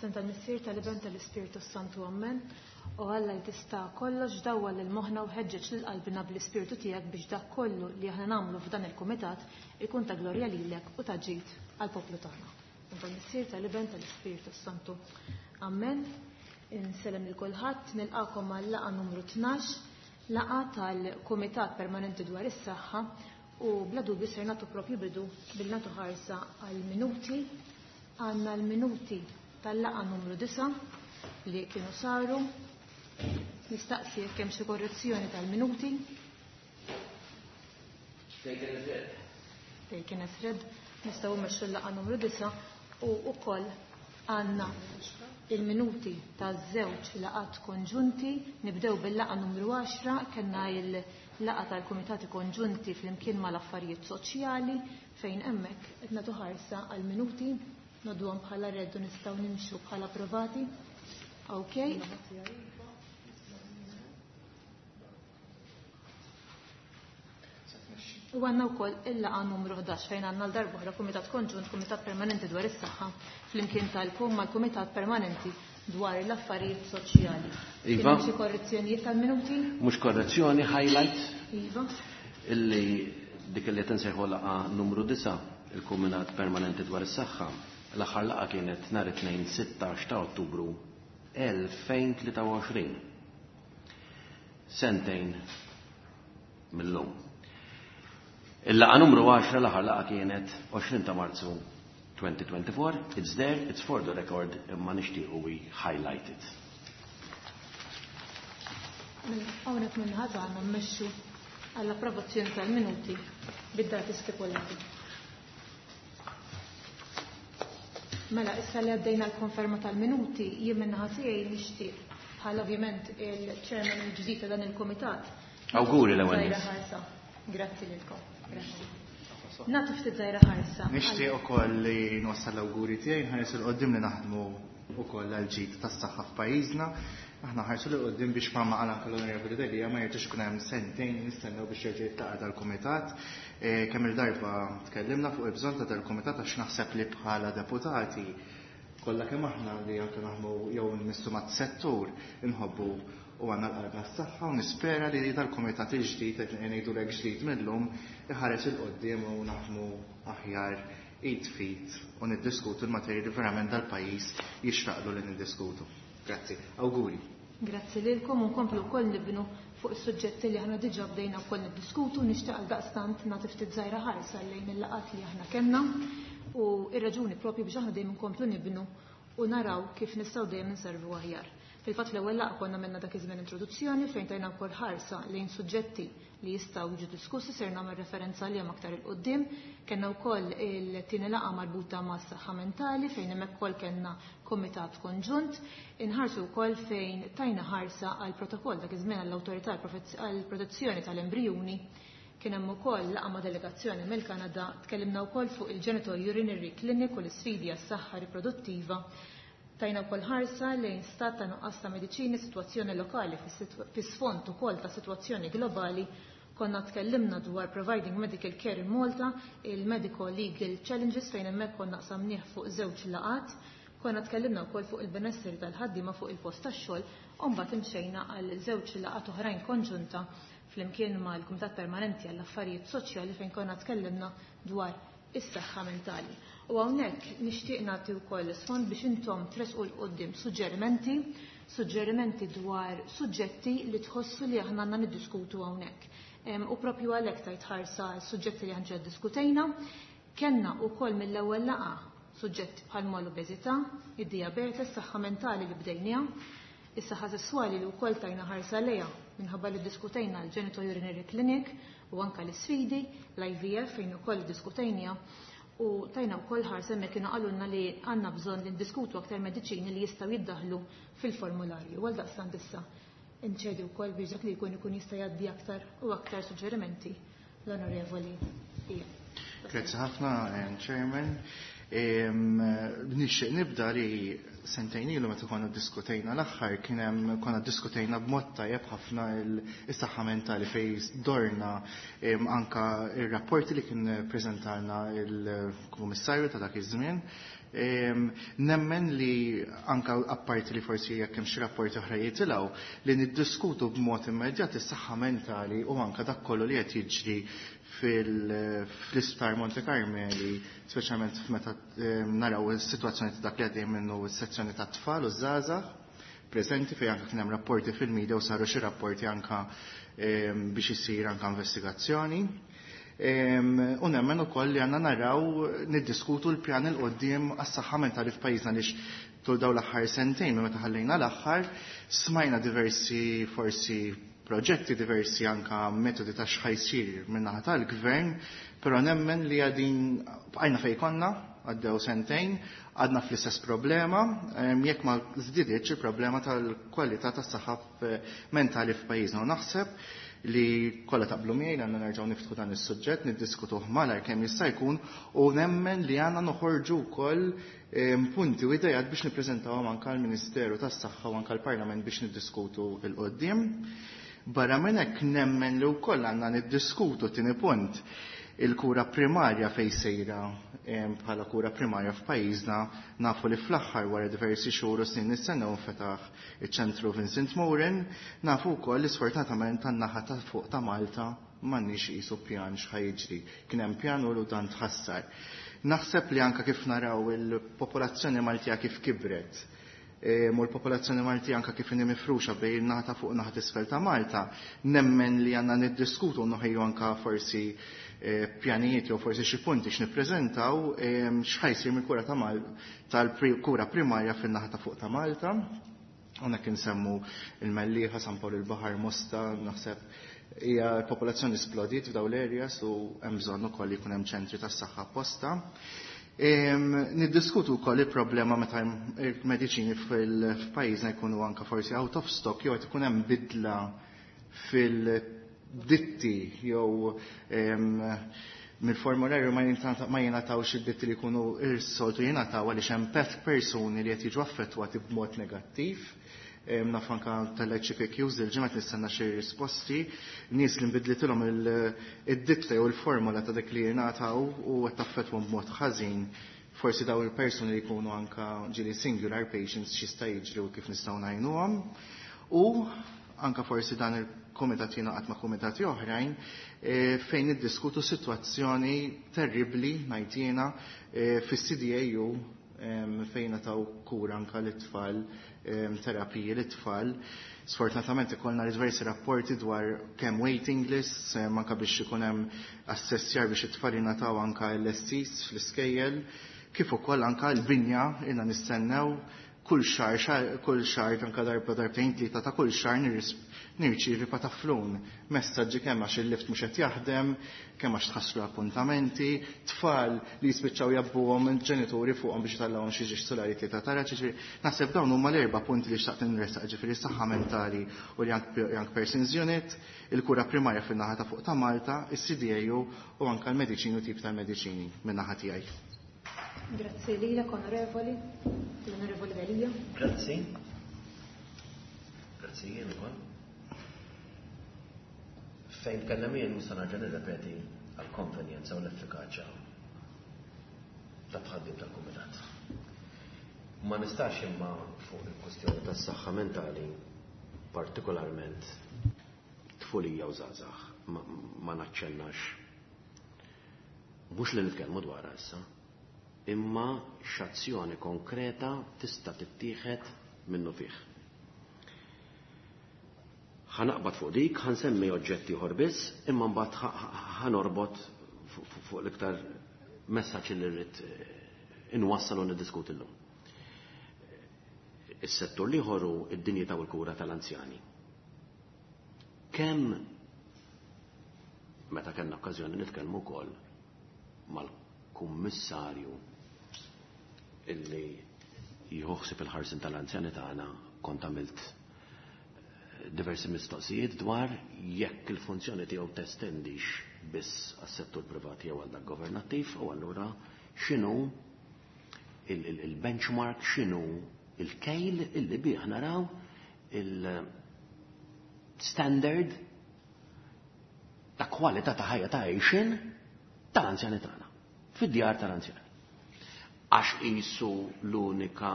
F'isem tal-Missier, tal-Iben, tal-Ispirtu Santu, Ammen. O Alla li tista' kollox dawwal lil moħħna u ħeġġeġ lil qalbina bl-Ispirtu tiegħek biex dak kollu li aħna nagħmlu f'dan il-kumitat ikun ta' glorja lilek u ta' ġid għall-poplu tagħna. F'isem tal-Missier, tal-Iben, tal-Ispirtu Santu. Ammen. Insellem lil kulħadd, nilqakom għal-laqgħa numru 12, laqgħa tal-Kumitat Permanenti dwar is-Saħħa u bla dubju ser nagħtu propju bidu bil nagħtu ħarsa għall-minuti. Għandna l-minuti tal-laqgħa numru 9 li kienu saru. Nistaqsi jekk hemm xi korrezzjoni tal-minuti. Taken as read. Taken as read. Nistgħu mmexxu l-laqgħa numru 9 u wkoll għandna il-minuti taż-żewġ laqgħat konġunti. Nibdew bil-laqgħa numru 10, kellna il-laqgħa tal-Kumitati Konġunti flimkien mal-Affarijiet Soċjali fejn hemmhekk qed nagħtu ħarsa għall-minuti, ngħodduhom bħala read u nistgħu nimxu bħala approvati. Okay. U għandna wkoll il-laqgħa numru 11 fejn għandna l-darb'oħra Kumitat Konġunt, Kumitat Permanenti dwar is-Saħħa flimkien tal-Kum mal-Kumitat Permanenti dwar l-Affarijiet Soċjali. Iva. Kien hemm xi korrezzjonijiet tal-minuti? Mhux korrezzjoni, highlight. Iva. Illi dik li qed insejħu laqgħa numru 9, il-Kumitat Permanenti dwar is-Saħħa, l-aħħar laqgħa kienet nhar it-Tnejn 16 ta' Ottubru 2023. Sentejn mill-lum. Il-laqgħa numru 10 l-aħħar laqgħa kienet 20 ta' Marzu 2024. It's there, it's for the record, imma nixtiequ we highlight it. Hawnhekk minn ħadd għandna mmexxu għall-approvazzjoni tal-minuti bid-dati stipulati. Mela, issa li għaddejna l-konferma tal-minuti, jien minn naħa tiegħi nixtieq bħal ovvjament il-chairman il-ġdid ta' dan il-kumitat. Awguri l-ewwel Żgħira nies. ħarsa. Grazzi lilkom. Grazzi. Nagħtu ftit żgħira ħarsa. Nixtieq ukoll li nwassal l-awguri tiegħi, nħares 'il quddiem li naħdmu ukoll għall-ġid tas-saħħa f'pajjiżna. Aħna ħarsu 'l quddiem biex bħalma qal anke l-Onorevoli Delia ma jerġax ikun hemm sentejn nistennew biex jerġa' jiltaqa' dal-kumitat. Kemm il-darba tkellimna fuq il-bżonn ta' dal-kumitat għax naħseb li bħala deputati kollha kemm aħna li anke naħdmu jew nmissu mat-settur inħobbu u għandna l-qalbna s-saħħa u nispera li dal-kumitat il-ġdid qed ngħidulek ġdid mill-lum iħares 'il quddiem u naħdmu aħjar id fit u niddiskutu l-materji li verament dal-pajjiż jixraqlu li niddiskutu. Grazzi. Awguri. Grazzi lilkom u nkomplu wkoll nibnu fuq is-suġġetti li aħna diġà bdejna wkoll niddiskutu. Nixtieq għal daqstant nagħti ftit żgħira ħarsa lejn il-laqgħat li aħna kellna u r-raġuni propju biex aħna dejjem nkomplu nibnu u naraw kif nistgħu dejjem inservu aħjar. Fil-fatt fl-ewwel laqgħa konna għamilna dak iż-żmien introduzzjoni fejn tajna wkoll ħarsa lejn suġġetti li jistgħu jiġu diskussi, ser nagħmel referenza għalihom aktar 'il quddiem. Kellna wkoll il-tieni laqgħa marbuta mas-saħħa mentali fejn hemmhekk ukoll kellna kumitat konġunt. Inħarsu wkoll fejn tajna ħarsa għal protokoll dak iż-żmien għall-awtorità għall-protezzjoni tal-embrijuni. Kien hemm ukoll laqgħa ma' delegazzjoni mill-Kanada, tkellimna wkoll fuq il-genitourinary clinic u l-isfidi għas-saħħa riproduttiva. Tajna wkoll ħarsa lejn stat ta' nuqqas ta' mediċini, sitwazzjoni lokali fis-sfond ukoll ta' sitwazzjoni globali. Konna tkellimna dwar Providing Medical Care in Malta, il-Medical Legal Challenges fejn hemmhekk konna qsamnieh fuq żewġ laqgħat. Konna tkellimna wkoll fuq il-benesseri tal-ħaddiema fuq il-post tax-xogħol u mbagħad imxejna għal żewġ laqgħat oħrajn konġunta flimkien mal-Kumitat Permanenti għall-Affarijiet Soċjali fejn konna tkellimna dwar is-saħħa mentali. U hawnhekk nixtieq nagħti wkoll sfond biex intom tresqu 'l quddiem suġġerimenti, suġġerimenti dwar suġġetti li tħossu li aħna għandna niddiskutu hawnhekk. U propju għalhekk tajt ħarsa suġġetti li aħna ġa ddiskutejna, kellna wkoll mill-ewwel laqgħa suġġetti bħal mal-obeżità, id-diabete, is-saħħa mentali li bdejniha, is-saħħa sesswali li wkoll tajna ħarsa lejha minħabba li ddiskutejna l-genitourinary clinic u anke l-isfidi, l-IVF fejn ukoll ddiskutejniha u tajna wkoll ħarsa hemmhekk kienu qalulna li għandna bżonn li ndiskutu aktar mediċini li jistgħu jiddaħlu fil-formularju. Għal daqstant issa inċedi wkoll biex dak li jkun ikun jista' jgħaddi aktar u aktar suġġerimenti l-Onorevoli Ian. Grazzi ħafna, Chairman. Nixtieq nibda li sentejn ilu meta konna ddiskutejna l-aħħar kien hemm konna ddiskutejna b'mod tajjeb ħafna is-saħħa mentali fejn dorna anka ir-rapporti li kien preżentalna il-Kummissarju ta' dak iż-żmien. Nemmen li anka apparti li forsi jekk hemm xi rapporti oħra jitilgħu li niddiskutu b'mod immedjat is-saħħa mentali u anka dak kollu li qed jiġri fl-isptar Monte Carmeli, speċjalment meta naraw is-sitwazzjoni ta' dak li għaddej minnu s-sezzjoni ta' tfal u żgħażagħ preżenti fejn anke kien hemm rapporti fil-media u saru xi rapporti anka biex isir anka investigazzjoni. U nemmen ukoll li għandna naraw niddiskutu l-pjan il qoddim għas-saħħa mentali f'pajjiżna għaliex tul dawn l-aħħar sentejn minn meta ħallejna l-aħħar smajna diversi forsi proġetti, diversi anka metodi ta' x'ħa jsir min-naħa tal-gvern, però nemmen li għadin bqajna fejn konna, għaddew sentejn, għadna fl-istess problema, jekk ma żdiditx il-problema tal-kwalità tas-saħħa mentali f'pajjiżna. U naħseb li kollha taqblu miegħi li għandna nerġgħu niftħu dan is-suġġett, niddiskutuh malajr kemm jista' jkun u nemmen li għandna noħorġu wkoll punti u idejat biex nippreżentawhom anke għall-Ministeru tas-Saħħa u anke l-Parlament biex niddiskutu 'l quddiem. Barra minn hekk nemmen li wkoll għandna niddiskutu tieni punt il-kura primarja fejn sejra bħala kura primarja f'pajjiżna. Nafu li fl-aħħar wara diversi xhur u snin nistennew nfetaħ iċ-ċentru Vincent Moran, nafu wkoll li sfortunatament tan-naħa ta' fuq ta' Malta m'għandniex qisu pjan x'ħa jiġri. Kien hemm pjan u dan tħassar. Naħseb li anke kif naraw il-popolazzjoni Maltija kif kibret u l-popolazzjoni Maltija anke kif inhi mifruxa bejn in-naħa ta' fuq u naħa t'isfel ta' Malta, nemmen li għandna niddiskutu u noħejju anke forsi pjanijiet jew forsi xi punti x'nippreżentaw x'ħa jsir mill-kura ta' Mal tal-kura primarja fin-naħa ta' fuq ta' Malta. Hawnhekk insemmu il-Mellieħa, San Pawl il-Baħar, Mosta, naħseb hija l-popolazzjoni splodiet f'dawn l-areas u hemm bżonn ukoll li jkun hemm ċentri tas-saħħa apposta. Niddiskutu wkoll il-problema meta il-mediċini f'pajjiżna jkunu anke forsi out of stock jew qed ikun hemm bidla fil-ditti jew mill-formularju ma jingħatawx id-ditti li jkunu s-soltu jingħataw għaliex hemm persuni li qed jiġu affettwati b'mod negattiv. Naf anka tal-HPQs il-ġimgħa nistenna xi risposti, nies li nbidlitilhom id-ditta jew il-formola ta' dik li jingħataw u qed taffettwhom b'mod ħażin. Forsi daw il-persuni li jkunu anka ġieli singular patients x'jista' jiġri u kif nistgħu ngħinuhom. U anka forsi dan il-kumitat jingħaqad ma' kumitati oħrajn fejn niddiskutu sitwazzjoni terribbli ngħid jiena fis-CDAU fejn taw kura anka lit-tfal, terapiji lit-tfal. Sfortunatament ikollna diversi rapporti dwar kemm waiting lists, anka biex ikun hemm assessjar biex it-tfal jingħataw anka LSCs fl-iskejjel, kif ukoll anka l-binja ilna nistennew kull xahar, kull xahar anka darba darbtejn tlieta ta' kull xahar nirċievi pataflun messaġġi kemm għax il-lift mhux qed jaħdem, kemm għax tħassru appuntamenti, tfal li jispiċċaw jabbuhom il-ġenituri fuqhom biex jitallawhom xi ġiex solari tlieta tara, ġifieri naħseb dawn huma l-erba' punti li xtaqt nressaq, ġifieri s-saħħa mentali u l-Young Persons Unit, il-kura primarja fin-naħa ta' fuq ta' Malta, is-CDAU u anke l-mediċini u tip ta' mediċini min-naħa tiegħi. Grazzi lilek, onorevoli, l-Onorevoli Delia. Grazzi. Grazzi jien ukoll. Fejn tkellem jien nista' nerġa' nirrepeti għall-konvenjenza u l-effikaċja ta' tħaddim tal-kumitat. Ma nistax imma fuq il-kwestjoni tas-saħħa mentali, partikolarment tfulija u żgħażagħ, ma naċċennax. Mhux li nitkellmu dwarha issa, imma x'azzjoni konkreta tista' tittieħed minnu fih. Ħa naqbad fuq dik, ħa nsemmi oġġetti ieħor biss, imma mbagħad ħanorbot fuq l-iktar messaġġ li rrid inwassal u niddiskuti llum. Is-settur l-ieħor hu d-dinjità u l-kura tal-anzjani. Kemm meta kellna okkażjoni nitkellmu wkoll mal-kummissarju illi jħossib il-ħarsin tal-anzjani tagħna, kont għamilt diversi mistoqsijiet dwar jekk il-funzjoni tiegħu testendix biss għas-settur privat jew għal dak governattiv, u allura x'inhu il-benchmark, x'inhu il-kejl illi bih naraw il-standard ta' kwalità ta' ħajja ta' għejxin tal-anzjani tagħna, fid-djar tal-anzjani. Għax qisu l-unika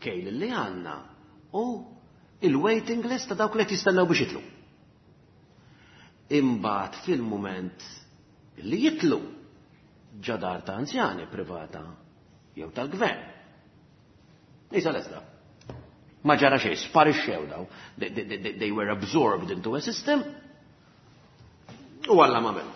kejl li għandna u il-waiting list ta' dawk li qed jistennew biex jitlu. Imbagħad fil-mument li jitlu ġadar ta' anzjani privata jew tal-gvern. Isa lesta. Ma ġara xejn, sparixxew daw. They were absorbed into a system u Alla ma melu.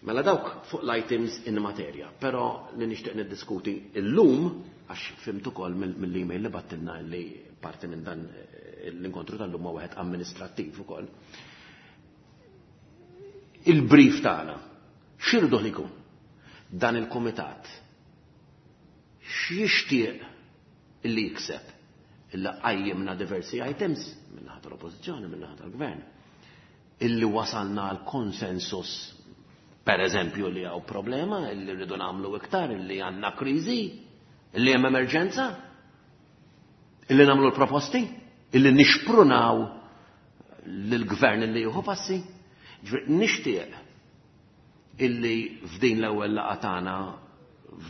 Mela dawk fuq l-items in materja, però li nixtieq niddiskuti illum, għax fhimt ukoll mill-email li bgħattilna li parti minn dan l-inkontru tal-lum ma wieħed amministrattiv ukoll. Il-brief tagħna, x'irridu li jkun? Dan il-kumitat x'jixtieq illi jikseb? Illi qajjimna diversi items min-naħa tal-Oppożizzjoni, min-naħa tal-Gvern, illi wasalna għal konsensus, per eżempju, li hawn problema, illi rridu nagħmlu iktar, illi għandna kriżi, illi hemm emerġenza, illi nagħmlu l-proposti, illi nixprunaw lill-gvern illi jieħu passi. Ġifieri, nixtieq illi f'din l-ewwel laqgħa tagħna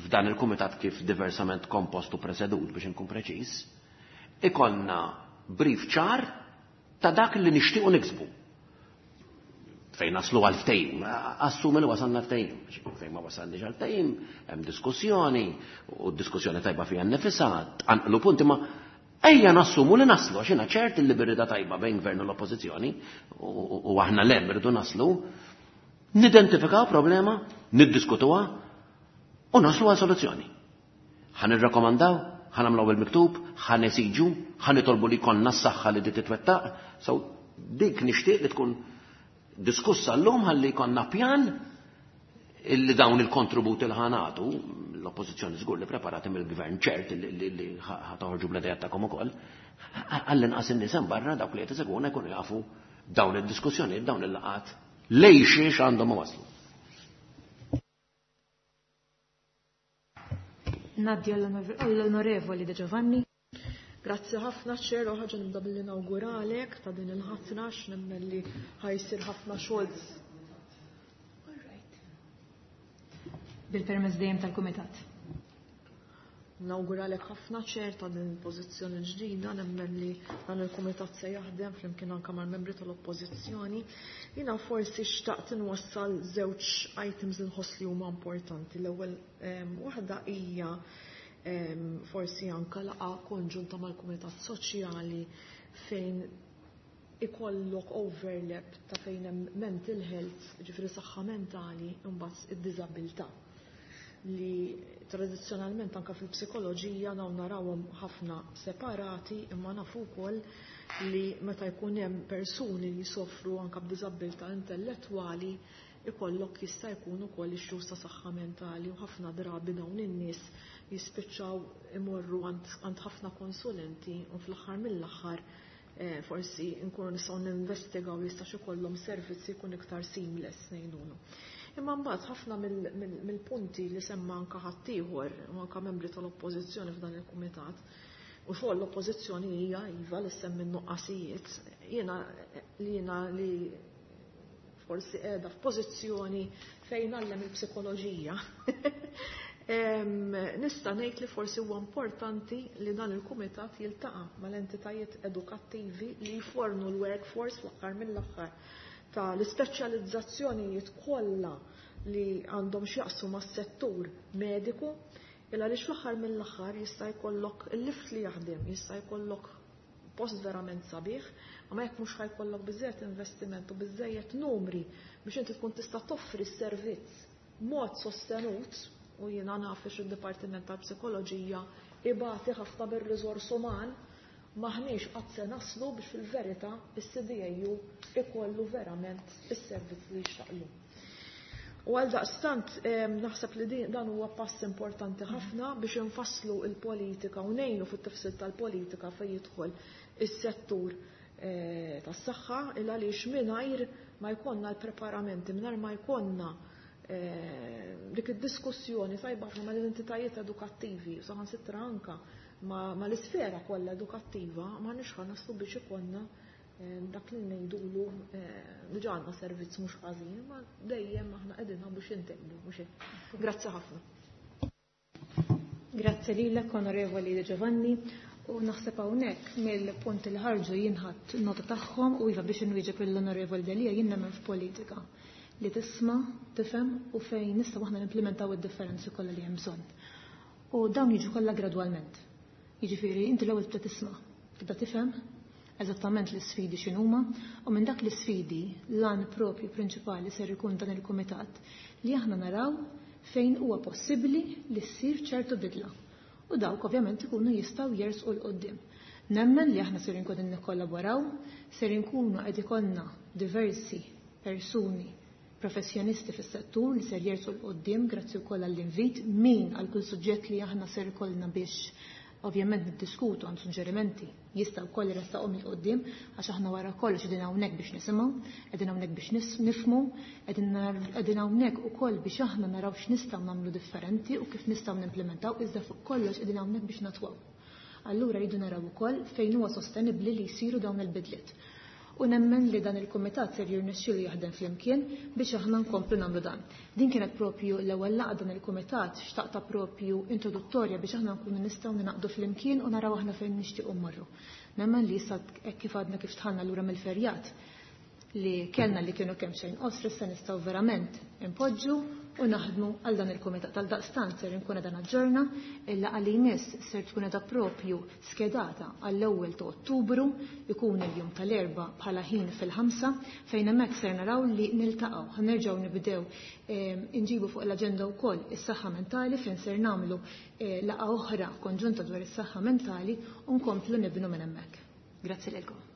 f'dan il-kumitat kif diversament kompost u presedut biex inkun preċiż, ikollna brief ċar ta' dak li nixtiequ niksbu. Fejn naslu għal ftehim, assumi li wasalna ftehim, fejn ma wasalniex għal ftehim, hemm diskussjoni, u diskussjoni tajba fiha nnifisha, tqanqlu punti, ma ejja nassumu li naslu, għax jiena ċert li birrida tajba bejn gvern u l-oppożizzjoni, u aħna lem irridu naslu, nidentifikaw problema, niddiskutuha, u naslu għal soluzzjoni. Ħa nirrakkomandaw, ħa nagħmlu il-miktub, ħa nesiġu, ħa nitolbu li jkollna s-saħħa li di titwettaq, so dik nixtieq li tkun diskussa llum ħalli jkollna pjan illi dawn il-kontributi li ħanatu, l-oppożizzjoni żgur li preparati mill-gvern ċert li ħatoħorġu bl-idejat tagħkom ukoll, għall-inqas in-nies hemm barra dawk li qed isegwuna jkunu jafu dawn id-diskussjonijiet, dawn il-laqgħat lejn xiex għandhom waslu. Ngħaddi għall-Onorevoli De Giovanni. Grazzi ħafna, Chair, u ħaġa nibda billi nawguralek ta' din il-ħatra, x'nemmen li ħa jsir ħafna xogħol. All right. Bil-permess dejjem tal-Kumitat. Nawguralek ħafna, Chair, ta' din il-pożizzjoni ġdida, nemmen li dan il-Kumitat se jaħdem flimkien anke mal-membri tal-Oppożizzjoni. Jiena forsi xtaqt inwassal żewġ items li nħoss li huma importanti. L-ewwel waħda hija forsi anka laqgħa konġunta mal-Kumitat Soċjali fejn ikollok overlap ta' fejn hemm mental health, ġifieri saħħa mentali, imbagħad id-diżabilità li tradizzjonalment anka fil-psikoloġija dawn narawhom ħafna separati, imma nafu wkoll li meta jkun hemm persuni li jsofru anka b'diżabilità intellettwali ikollok jista' jkun ukoll issues ta' saħħa mentali, u ħafna drabi dawn in-nies jispiċċaw imorru għand ħafna konsulenti u fl-aħħar mill-aħħar forsi nkunu nistgħu ninvestigaw jistax ikollhom servizzi jkun iktar seamless ngħidulu. Imma mbagħad ħafna mill-punti li semma anke ħaddieħor u anke membri tal-Oppożizzjoni f'dan il-kumitat, u xogħol l-Oppożizzjoni hija iva li semmi n-nuqqasijiet, jiena li jiena li forsi qiegħda f'pożizzjoni fejn għallem il-psikoloġija. Nista' ngħid li forsi huwa importanti li dan il-kumitat jiltaqa' mal-entitajiet edukattivi li jfornu l-workforce fl-aħħar mill-aħħar tal-ispeċjalizzazzjonijiet kollha li għandhom x'jaqsmu mas-settur mediku, il għaliex fl-aħħar mill-aħħar jista' jkollok il-lift li jaħdem, jista' jkollok post verament sabiħ, ma jekk mhux ħajkollok biżżejjed investiment u biżżejjed numri biex inti tkun tista' toffri s-servizz mod sostenut, u jiena naf li id-Dipartiment tal-Psikoloġija ibati ħafna bir-riżors uman, maħniex qatt se naslu biex fil-verità is-CDAU ikollu verament is-servizz li jixtaqlu. U għal daqstant naħseb li dan huwa pass importanti ħafna biex infasslu il-politika u ngħinu fit-tifsil tal-politika fejn jidħol is-settur tas-saħħa, il għaliex mingħajr ma jkollna l-preparamenti, mingħajr ma jkollna Dik id-diskussjoni tajba ħafna mal-entitajiet edukattivi, saħansitra anka mal-isfera kollha edukattiva, ma nix naslu biex ikollna dak li ngħidulu diġà għandna servizz mhux ħażin, ma dejjem aħna qegħdin biex intejbu, mhux hekk. Grazzi ħafna. Grazzi lilek, Onorevoli De Giovanni. U naħseb hawnhekk mill-punti li ħarġu jinħadd nota tagħhom u iva biex inwieġeb l-Onorevoli Delia jien nemmen f'politika li tisma', tifhem u fejn nistgħu aħna nimplementaw id-differenzi kollha li hemm bżonn. U dawn jiġu kollha gradwalment. Jiġifieri inti l-ewwel tibda tisma', tibda tifhem eżattament l-isfidi x'inhuma u minn dak l-isfidi l-għan propju prinċipali ser ikun dan il-kumitat li aħna naraw fejn huwa possibbli li ssir ċertu bidla. U dawk ovvjament ikunu jistgħu jersqu 'l quddiem. Nemmen li aħna ser inkunu nikkollaboraw, ser inkunu qed ikollna diversi persuni professjonisti fis-settur li ser jersqu 'l quddiem grazzi wkoll għall-invit min għal kull suġġett li aħna ser ikollna biex ovvjament niddiskutu għand suġġerimenti jista' wkoll iressaqhom 'il quddiem għax aħna wara kollox qegħdin hawnhekk biex nisimgħu, qegħdin hawnhekk biex nifhmu, qegħdin hawnhekk ukoll biex aħna naraw x'nistgħu nagħmlu differenti u kif nistgħu nimplementaw, iżda fuq kollox qegħdin hawnhekk biex natwaw. Allura rridu naraw ukoll fejn huwa sostenibbli li jsiru dawn il-bidliet. U nemmen li dan il-kumitat ser jirnexxielu jaħdem flimkien biex aħna nkomplu nagħmlu dan. Din kienet propju l-ewwel laqgħa dan il-kumitat xtaqta propju introduttorja biex aħna nkunu nistgħu ninaqdu flimkien u naraw aħna fejn nixtiequ mmorru. Nemmen li issa hekk kif għadna kif dħalna lura mill-ferjat li kellna li kienu kemm xejn qosra issa nistgħu verament impoġġu u naħdmu għal dan il-kumitat. Tal-daqstant ser inkun qiegħda naġġorna il-laqgħa li jmiss ser tkun qiegħda propju skedata għall-ewwel ta' Ottubru, ikun il-jum tal-Erbgħa bħala ħin fil-5 fejn hemmhekk ser naraw li niltaqgħu. Ħa nerġgħu nibdew inġibu fuq l-aġenda wkoll is-saħħa mentali fejn ser nagħmlu laqgħa oħra konġunta dwar is-saħħa mentali u nkomplu nibnu minn hemmhekk. Grazzi lilkom.